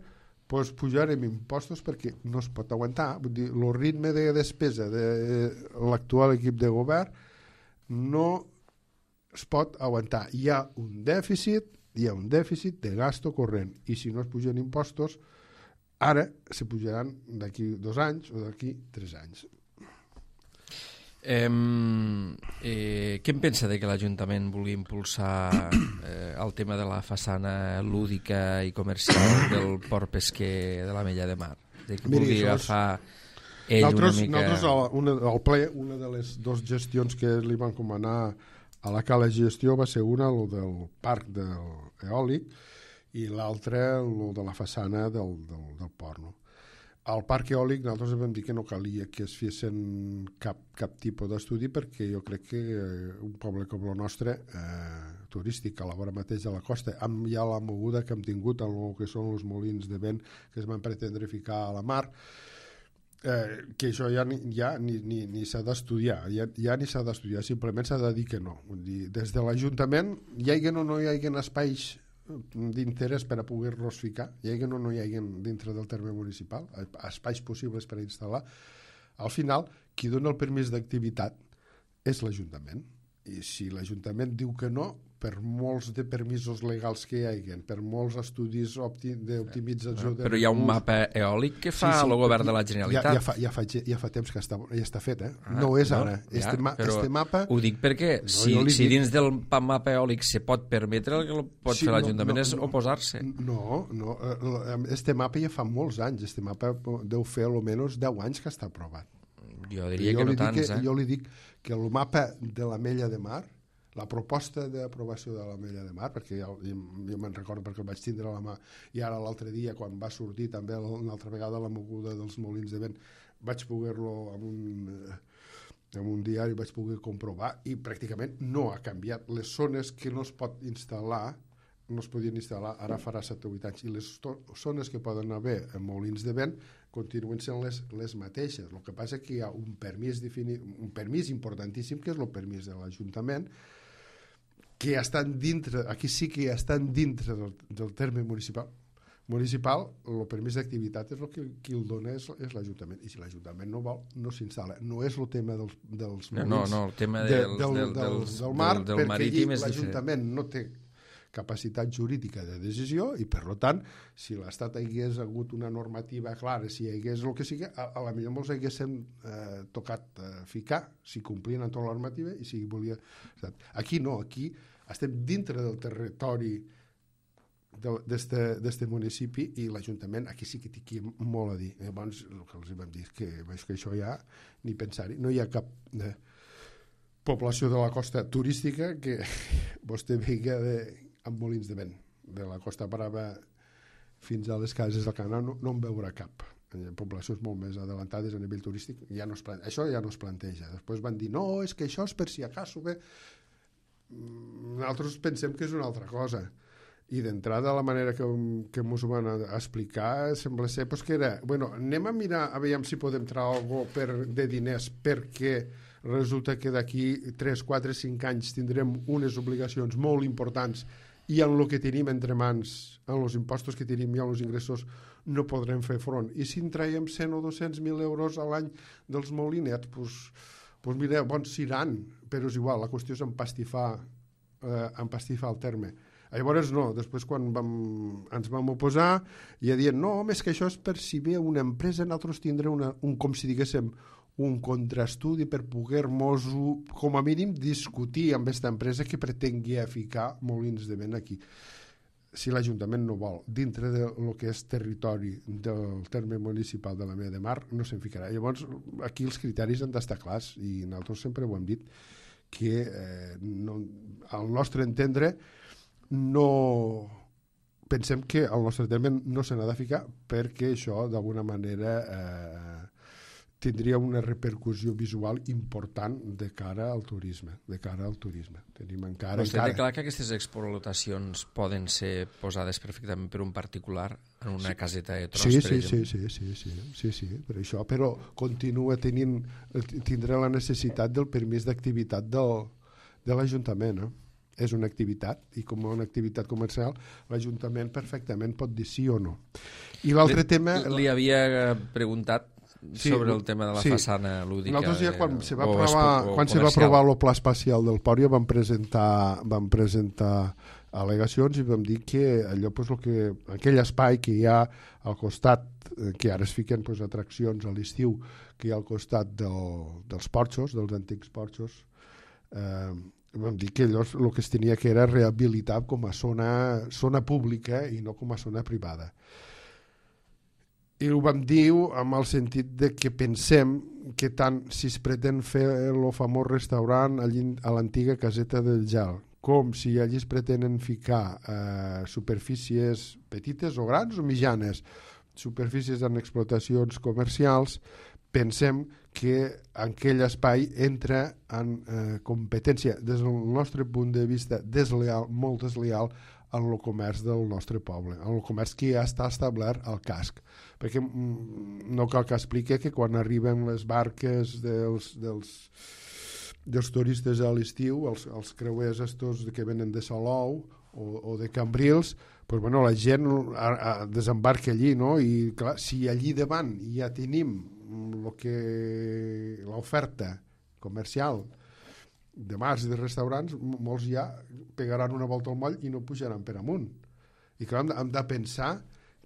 pues pujarem impostos perquè no es pot aguantar. Vull dir, el ritme de despesa de l'actual equip de govern no es pot aguantar. Hi ha un dèficit de gasto corrent, i si no es pugen impostos, ara se pujaran d'aquí 2 anys o d'aquí 3 anys. Què en pensa de que l'Ajuntament vulgui impulsar el tema de la façana lúdica i comercial del port pesquer de l'Ametlla de Mar? De que vulgui agafar ell una mica... Nosaltres, al ple, una de les 2 gestions que li van comanar a la cala gestió va ser una, el del parc eòlic, i l'altra, el de la façana del port, no? Al parc eòlic nosaltres vam dir que no calia que es fessin cap tipus d'estudi, perquè jo crec que un poble com el nostre, turístic, a la vora mateix de la costa, amb ja la moguda que hem tingut en el que són els molins de vent que es van pretendre ficar a la mar, que això ja ni s'ha d'estudiar, ja ni s'ha d'estudiar, simplement s'ha de dir que no. Vull dir, des de l'Ajuntament, hi hagi o no hi hagi espais d'interès per a poder-los ficar, hi hagi o no hi hagi dintre del terme municipal, espais possibles per a instal·lar, al final, qui dona el permís d'activitat és l'Ajuntament. I si l'Ajuntament diu que no, per molts de permisos legals que hi hagi, per molts estudis d'optimització... Però hi ha un mapa eòlic que fa el govern de la Generalitat. Ja fa temps que ja està fet, no és ara. Este mapa... Ho dic perquè si dins del mapa eòlic se pot permetre, el que pot fer l'Ajuntament és oposar-se. No, este mapa ja fa molts anys, este mapa deu fer almenys 10 anys que està aprovat. Jo diria que no tants, Jo li dic que el mapa de l'Ametlla de Mar, la proposta d'aprovació de l'Ametlla de Mar, perquè jo me'n recordo perquè el vaig tindre a la mà, i ara l'altre dia, quan va sortir també una altra vegada la moguda dels molins de vent, vaig poder-lo en un diari, vaig poder comprovar, i pràcticament no ha canviat. Les zones que no es pot instal·lar, no es podien instal·lar, ara farà 7 o 8 anys, i les zones que poden haver en molins de vent continuen sent les mateixes. El que passa és que hi ha un permís importantíssim, que és el permís de l'Ajuntament, que estan dintre, aquí sí que estan dintre del terme municipal. El permís d'activitat és el que qui el dona és l'Ajuntament, i si l'Ajuntament no vol, no s'instal·la. No és el tema dels molins, el tema del mar, perquè marítim allí l'Ajuntament no té capacitat jurídica de decisió, i per tant, si l'Estat hagués hagut una normativa clara, si hi hagués el que sigui, a la millor molts haguéssim tocat ficar, si complien amb tota la normativa i si volia... Aquí no, aquí estem dintre del territori d'este municipi, i l'Ajuntament aquí sí que té molt a dir. Llavors, el que els vam dir és que això ja ni pensar-hi, no hi ha cap població de la costa turística que vostè veiga amb molins de vent, de la Costa Brava fins a les cases del Canal, no en veurà cap. Poblacions molt més adelantades a nivell turístic, això ja no es planteja. Després van dir, no, és que això és per si acaso bé. Nosaltres pensem que és una altra cosa. I d'entrada, la manera que ens ho van explicar sembla ser que era, bueno, anem a mirar a veure si podem treure alguna de diners, perquè resulta que d'aquí 3, 4, 5 anys tindrem unes obligacions molt importants, i en el que tenim entre mans, en els impostos que tenim i en els ingressos, no podrem fer front. I si en traiem 100 o 200.000 euros a l'any dels molinets, doncs mira, bons seran, però és igual, la qüestió és empastifar el terme. Llavors no, després quan ens vam oposar, ja dient, no, home, és que això és per si ve una empresa, nosaltres tindrem com si diguéssim, un contraestudi per poder-nos, com a mínim, discutir amb aquesta empresa que pretengui ficar molins de vent aquí. Si l'Ajuntament no vol, dintre del que és territori del terme municipal de l'Ametlla de Mar, no se'n ficarà. Llavors, aquí els criteris han d'estar clars, i nosaltres sempre ho hem dit, que al nostre entendre no pensem que al nostre terme no se n'ha de ficar, perquè això d'alguna manera tindria una repercussió visual important de cara al turisme. Tenim encara... Vostè té clar que aquestes explotacions poden ser posades perfectament per un particular en una caseta de tros, per exemple? Sí, per això, però continua tindrà la necessitat del permís d'activitat de l'Ajuntament, és una activitat, i com una activitat comercial l'Ajuntament perfectament pot dir sí o no. I l'altre tema... Li havia preguntat sobre el tema de la façana lúdica. Nosaltres ja quan se va aprovar el pla espacial del Port ja vam presentar al·legacions i vam dir que allò, aquell espai que hi ha al costat, que ara es fiquen atraccions a l'estiu, que hi ha al costat dels porxos, dels antics porxos, vam dir que allò el que es tenia que era rehabilitar com a zona pública i no com a zona privada. I ho vam dir amb el sentit de que pensem que tant si es pretén fer el famós restaurant a l'antiga caseta del Gel, com si allí es pretenen ficar superfícies petites o grans o mitjanes, superfícies en explotacions comercials, pensem que aquell espai entra en competència, des del nostre punt de vista, desleal, molt desleal, en el comerç del nostre poble, en el comerç que ja està establert al casc. Perquè no cal que expliqui que quan arriben les barques dels turistes a l'estiu, els creuers estos que venen de Salou o de Cambrils, la gent desembarca allí, no? I clar, si allí davant ja tenim l'oferta comercial de bars i de restaurants, molts ja pegaran una volta al moll i no pujaran per amunt. I clar, hem de pensar,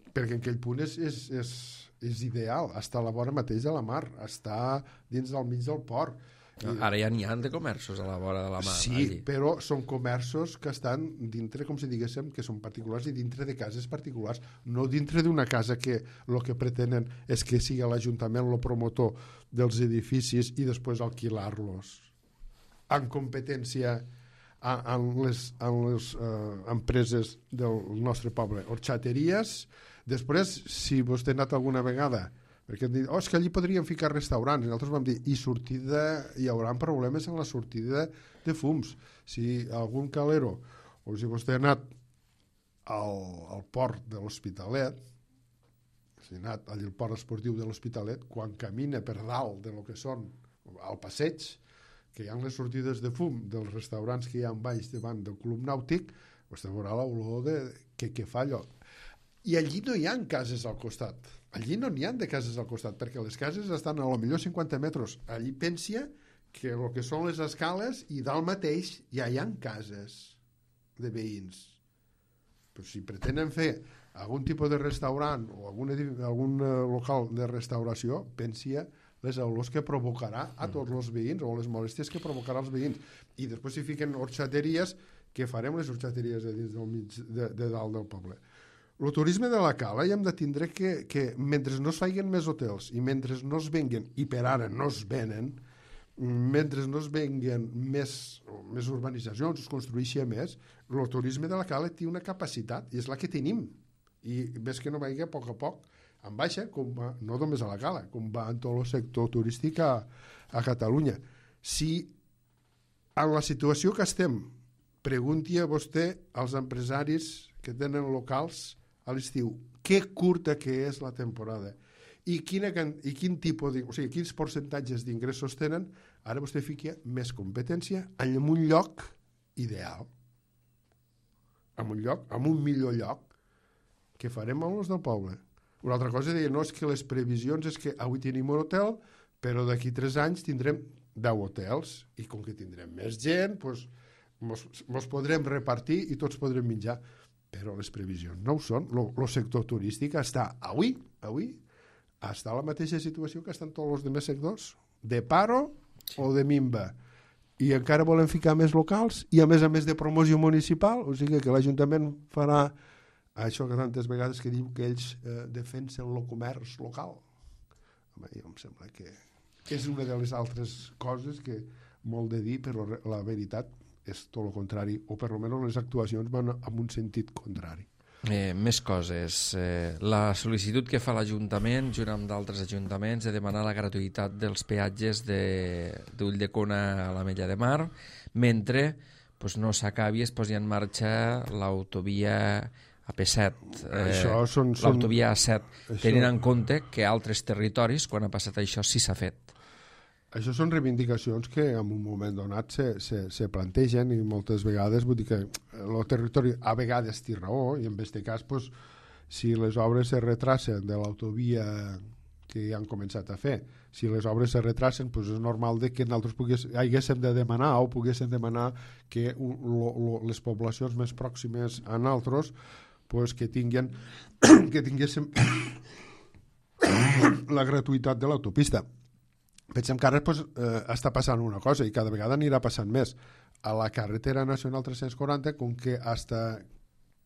perquè en aquell punt és ideal, està a la vora mateix de la mar, està dins del mig del port. Ara ja n'hi ha de comerços a la vora de la mar. Sí, allí. Però són comerços que estan dintre, com si diguéssim, que són particulars i dintre de cases particulars, no dintre d'una casa que el que pretenen és que sigui l'Ajuntament el promotor dels edificis i després alquilar-los en competència amb les empreses del nostre poble. Horxateries, després, si vostè ha anat alguna vegada, perquè han dit, és que allí podríem ficar restaurants, i nosaltres vam dir, hi haurà problemes en la sortida de fums. Si algun calero, o si vostè ha anat al port de l'Hospitalet, si ha anat al port esportiu de l'Hospitalet, quan camina per dalt de lo que són al passeig, que hi ha les sortides de fum dels restaurants que hi ha baix davant del club nàutic, vostè veurà l'olor que fa allò. I allí no hi ha cases al costat. Allí no n'hi ha de cases al costat, perquè les cases estan a lo millor 50 metres. Allí pensa que el que són les escales i dalt mateix ja hi ha cases de veïns. Però si pretenen fer algun tipus de restaurant o algun local de restauració, pensa les olors que provocarà a tots els veïns o les molèsties que provocarà als veïns. I després si fiquen horxateries, què farem les horxateries de dalt del poble? El turisme de la cala ja hem de tindre que mentre no es feien més hotels i mentre no es venguen, i per ara no es venen, mentre no es venguen més urbanitzacions, es construeixi més, el turisme de la cala té una capacitat i és la que tenim. I ves que no vagi a poc, en baixa, com va, no només a la cala, com va en tot el sector turístic a Catalunya. Si en la situació que estem, pregunti a vostè als empresaris que tenen locals a l'estiu, que curta que és la temporada i quin tipus quins percentatges d'ingressos tenen, ara vostè fica més competència en un lloc ideal, en un millor lloc que farem amb els del poble. Una altra cosa deia, no és que les previsions és que avui tenim un hotel, però d'aquí 3 anys tindrem 10 hotels i com que tindrem més gent, mos podrem repartir i tots podrem menjar. Però les previsions no ho són. El sector turístic està avui està a la mateixa situació que estan tots els altres sectors, de paro o de minva. I encara volen ficar més locals i a més de promoció municipal, o sigui que l'Ajuntament farà això que tantes vegades que diu que ells defensen el comerç local. Home, jo em sembla que és una de les altres coses que molt de dir, però la veritat és tot el contrari, o per almenys les actuacions van en un sentit contrari. Més coses. La sol·licitud que fa l'Ajuntament, junt amb d'altres ajuntaments, de demanar la gratuïtat dels peatges d'Ulldecona a l'Ametlla de Mar, mentre no s'acabi, es posi en marxa l'autovia AP7, l'autovia A7, tenint en compte que altres territoris, quan ha passat això, sí s'ha fet. això són reivindicacions que en un moment donat se plantegen i moltes vegades, vull dir que el territori a vegades té raó i en aquest cas, pues, si les obres se retracen de l'autovia que ja han començat a fer, si les obres se retracen, pues és normal de que nosaltres haguéssim de demanar o poguéssim demanar que les poblacions més pròximes a nosaltres pues, que tinguéssim la gratuïtat de l'autopista. Pensem que ara pues, està passant una cosa i cada vegada anirà passant més. A la carretera nacional 340, com que hasta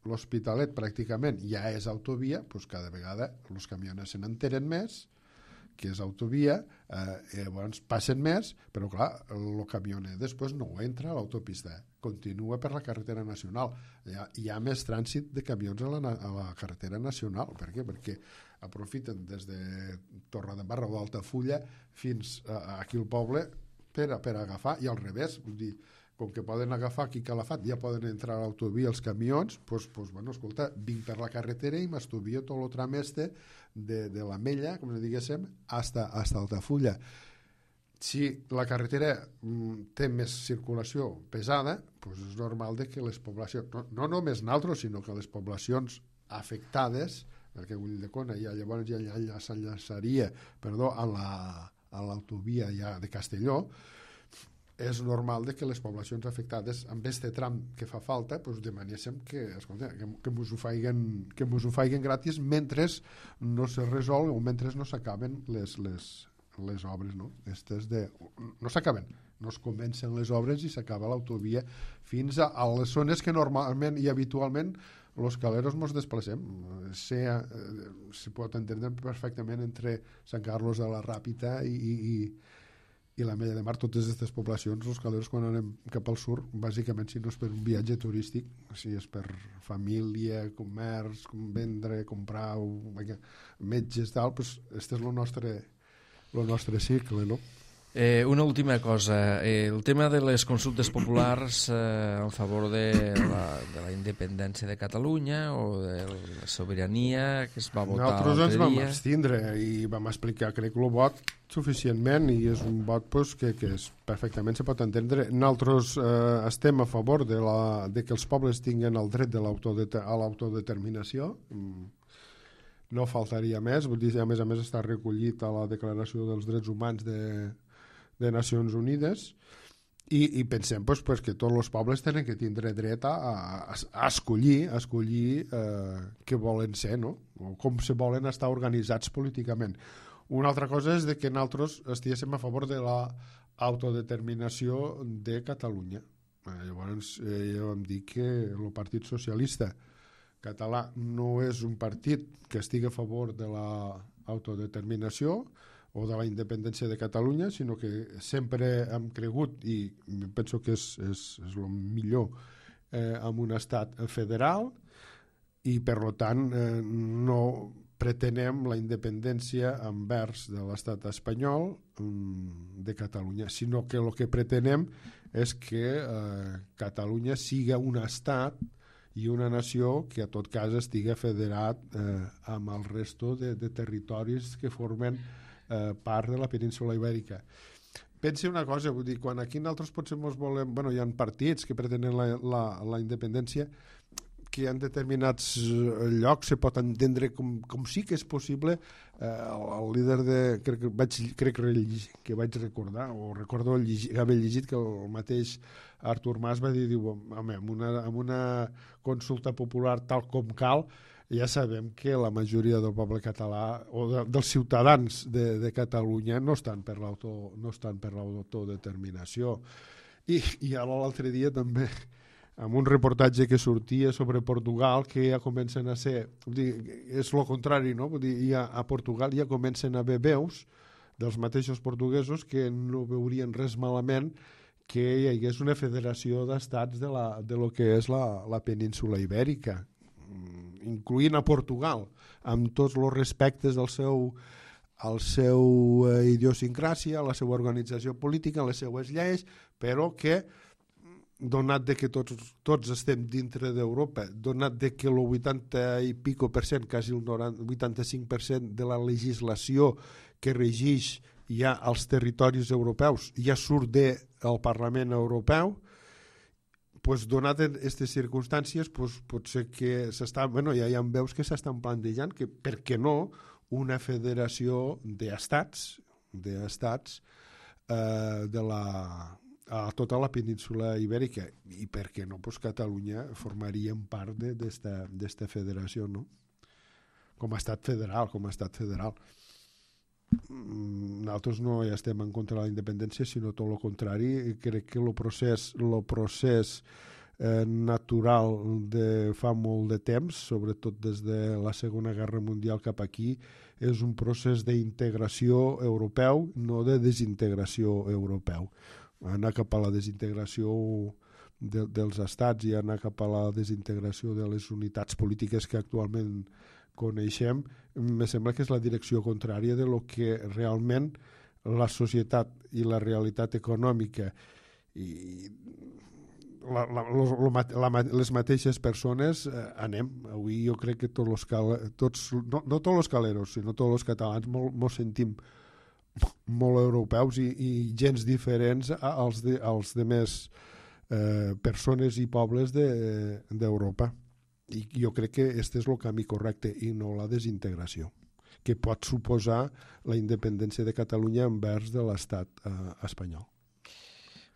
l'Hospitalet pràcticament ja és autovia, pues cada vegada els camioners se n'enteren més que és autovia, llavors passen més, però clar, el camioner després no entra a l'autopista, continua per la carretera nacional. Hi ha més trànsit de camions a la carretera nacional. Per què? Perquè aprofiten des de Torredembarra o d'Altafulla fins aquí al poble per agafar, i al revés, vull dir, com que poden agafar aquí Calafat, ja poden entrar a l'autovia els camions, doncs, bueno, escolta, vinc per la carretera i m'estuvio tot el tram este de l'Ametlla, com diguéssim, hasta Altafulla. Si la carretera té més circulació pesada, doncs és normal que les poblacions, no només nosaltres, sinó que les poblacions afectades, perquè Ulldecona ja llavors ja s'enllaçaria a l'autovia ja de Castelló, és normal que les poblacions afectades amb aquest tram que fa falta doncs demanéssim que mos ho faiguen gratis mentre no se resol o mentre no s'acaben les obres, no? No s'acaben, no es comencen les obres i s'acaba l'autovia fins a les zones que normalment i habitualment els caleros ens desplacem. Se pot entendre perfectament entre Sant Carlos de la Ràpita i l'Ametlla de Mar, totes aquestes poblacions, els caleros quan anem cap al sud, bàsicament si no és per un viatge turístic, si és per família, comerç, vendre, comprar, metges, tal, doncs este és el nostre cicle, no? Una última cosa, el tema de les consultes populars en favor de la independència de Catalunya o de la sobirania que es va votar l'altre dia. Nosaltres ens vam abstindre i vam explicar, crec, el vot suficientment i és un vot que perfectament se pot entendre. Nosaltres estem a favor de que els pobles tinguin el dret a l'autodeterminació, no faltaria més, vull dir, a més està recollit a la Declaració dels Drets Humans de Nacions Unides i pensem que tots els pobles tenen que tindre dret a escollir què volen ser, no? O com se volen estar organitzats políticament. Una altra cosa és que nosaltres estiguéssim a favor de l'autodeterminació de Catalunya. Llavors ja vam dir que el Partit Socialista català no és un partit que estigui a favor de l'autodeterminació o de la independència de Catalunya, sinó que sempre hem cregut, i penso que és el millor, en un estat federal, i per tant no pretenem la independència envers de l'estat espanyol de Catalunya, sinó que el que pretenem és que Catalunya siga un estat i una nació que a tot cas estigui federat amb el resto de territoris que formen part de la península Ibèrica. Pensi una cosa, vull dir, quan aquí nosaltres potser volem, bueno, hi ha partits que pretenen la independència, que en determinats llocs se pot entendre com sí que és possible. El líder crec que vaig recordar, o recordo haver llegit que el mateix Artur Mas va dir, home, amb una consulta popular tal com cal, ja sabem que la majoria del poble català o dels ciutadans de Catalunya no estan per l'autodeterminació. I ara l'altre dia també, amb un reportatge que sortia sobre Portugal, que ja comencen a ser, és el contrari, no? Vull dir, a Portugal ja comencen a haver veus dels mateixos portuguesos que no veurien res malament que hi hagués una federació d'estats de lo que és la península Ibèrica, incloent a Portugal, amb tots els respectes al seu idiosincràsia, a la seva organització política, a les seues lleis, però que, donat de que tots estem dintre d'Europa, donat de que el 80 i pico %, quasi el 85% de la legislació que regeix ja als territoris europeus, ja surt del Parlament Europeu, pues, donat aquestes circumstàncies, pues, potser que ja hi ha veus que s'estan plantejant que, per què no, una federació d'estats a tota la península ibèrica, i per què no, pues, Catalunya formaria part d'esta federació, no? Com a estat federal. Nosaltres no ja estem en contra de la independència, sinó tot el contrari. Crec que el procés natural de fa molt de temps, sobretot des de la Segona Guerra Mundial cap aquí, és un procés d'integració europeu, no de desintegració europeu. Anar cap a la desintegració dels estats i anar cap a la desintegració de les unitats polítiques que actualment coneixem, me sembla que és la direcció contrària de lo que realment la societat i la realitat econòmica i les mateixes persones anem. Avui jo crec que no tots els caleros, sinó tots els catalans mos sentim molt europeus i gens diferents als demés persones i pobles d'Europa. I jo crec que aquest és el camí correcte i no la desintegració, que pot suposar la independència de Catalunya envers de l'estat espanyol.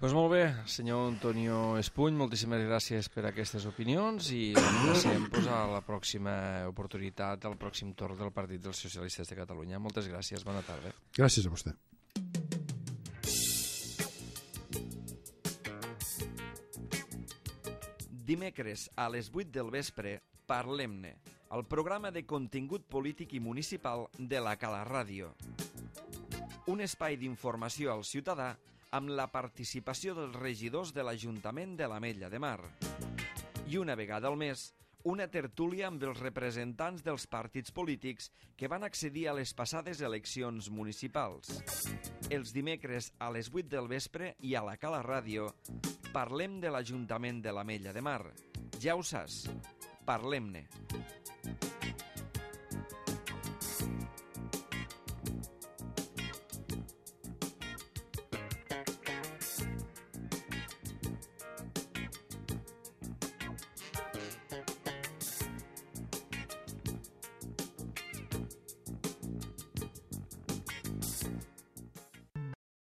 Doncs molt bé, senyor Antonio Espuny, moltíssimes gràcies per aquestes opinions i passem a la pròxima oportunitat, al pròxim torn del Partit dels Socialistes de Catalunya. Moltes gràcies, bona tarda. Gràcies a vostè. Dimecres a les 8 del vespre, Parlem-ne, el programa de contingut polític i municipal de la Cala Ràdio. Un espai d'informació al ciutadà amb la participació dels regidors de l'Ajuntament de l'Ametlla de Mar. I una vegada al mes, una tertúlia amb els representants dels partits polítics que van accedir a les passades eleccions municipals. Els dimecres a les 8 del vespre i a la Cala Ràdio parlem de l'Ajuntament de l'Ametlla de Mar. Ja ho saps, parlem-ne.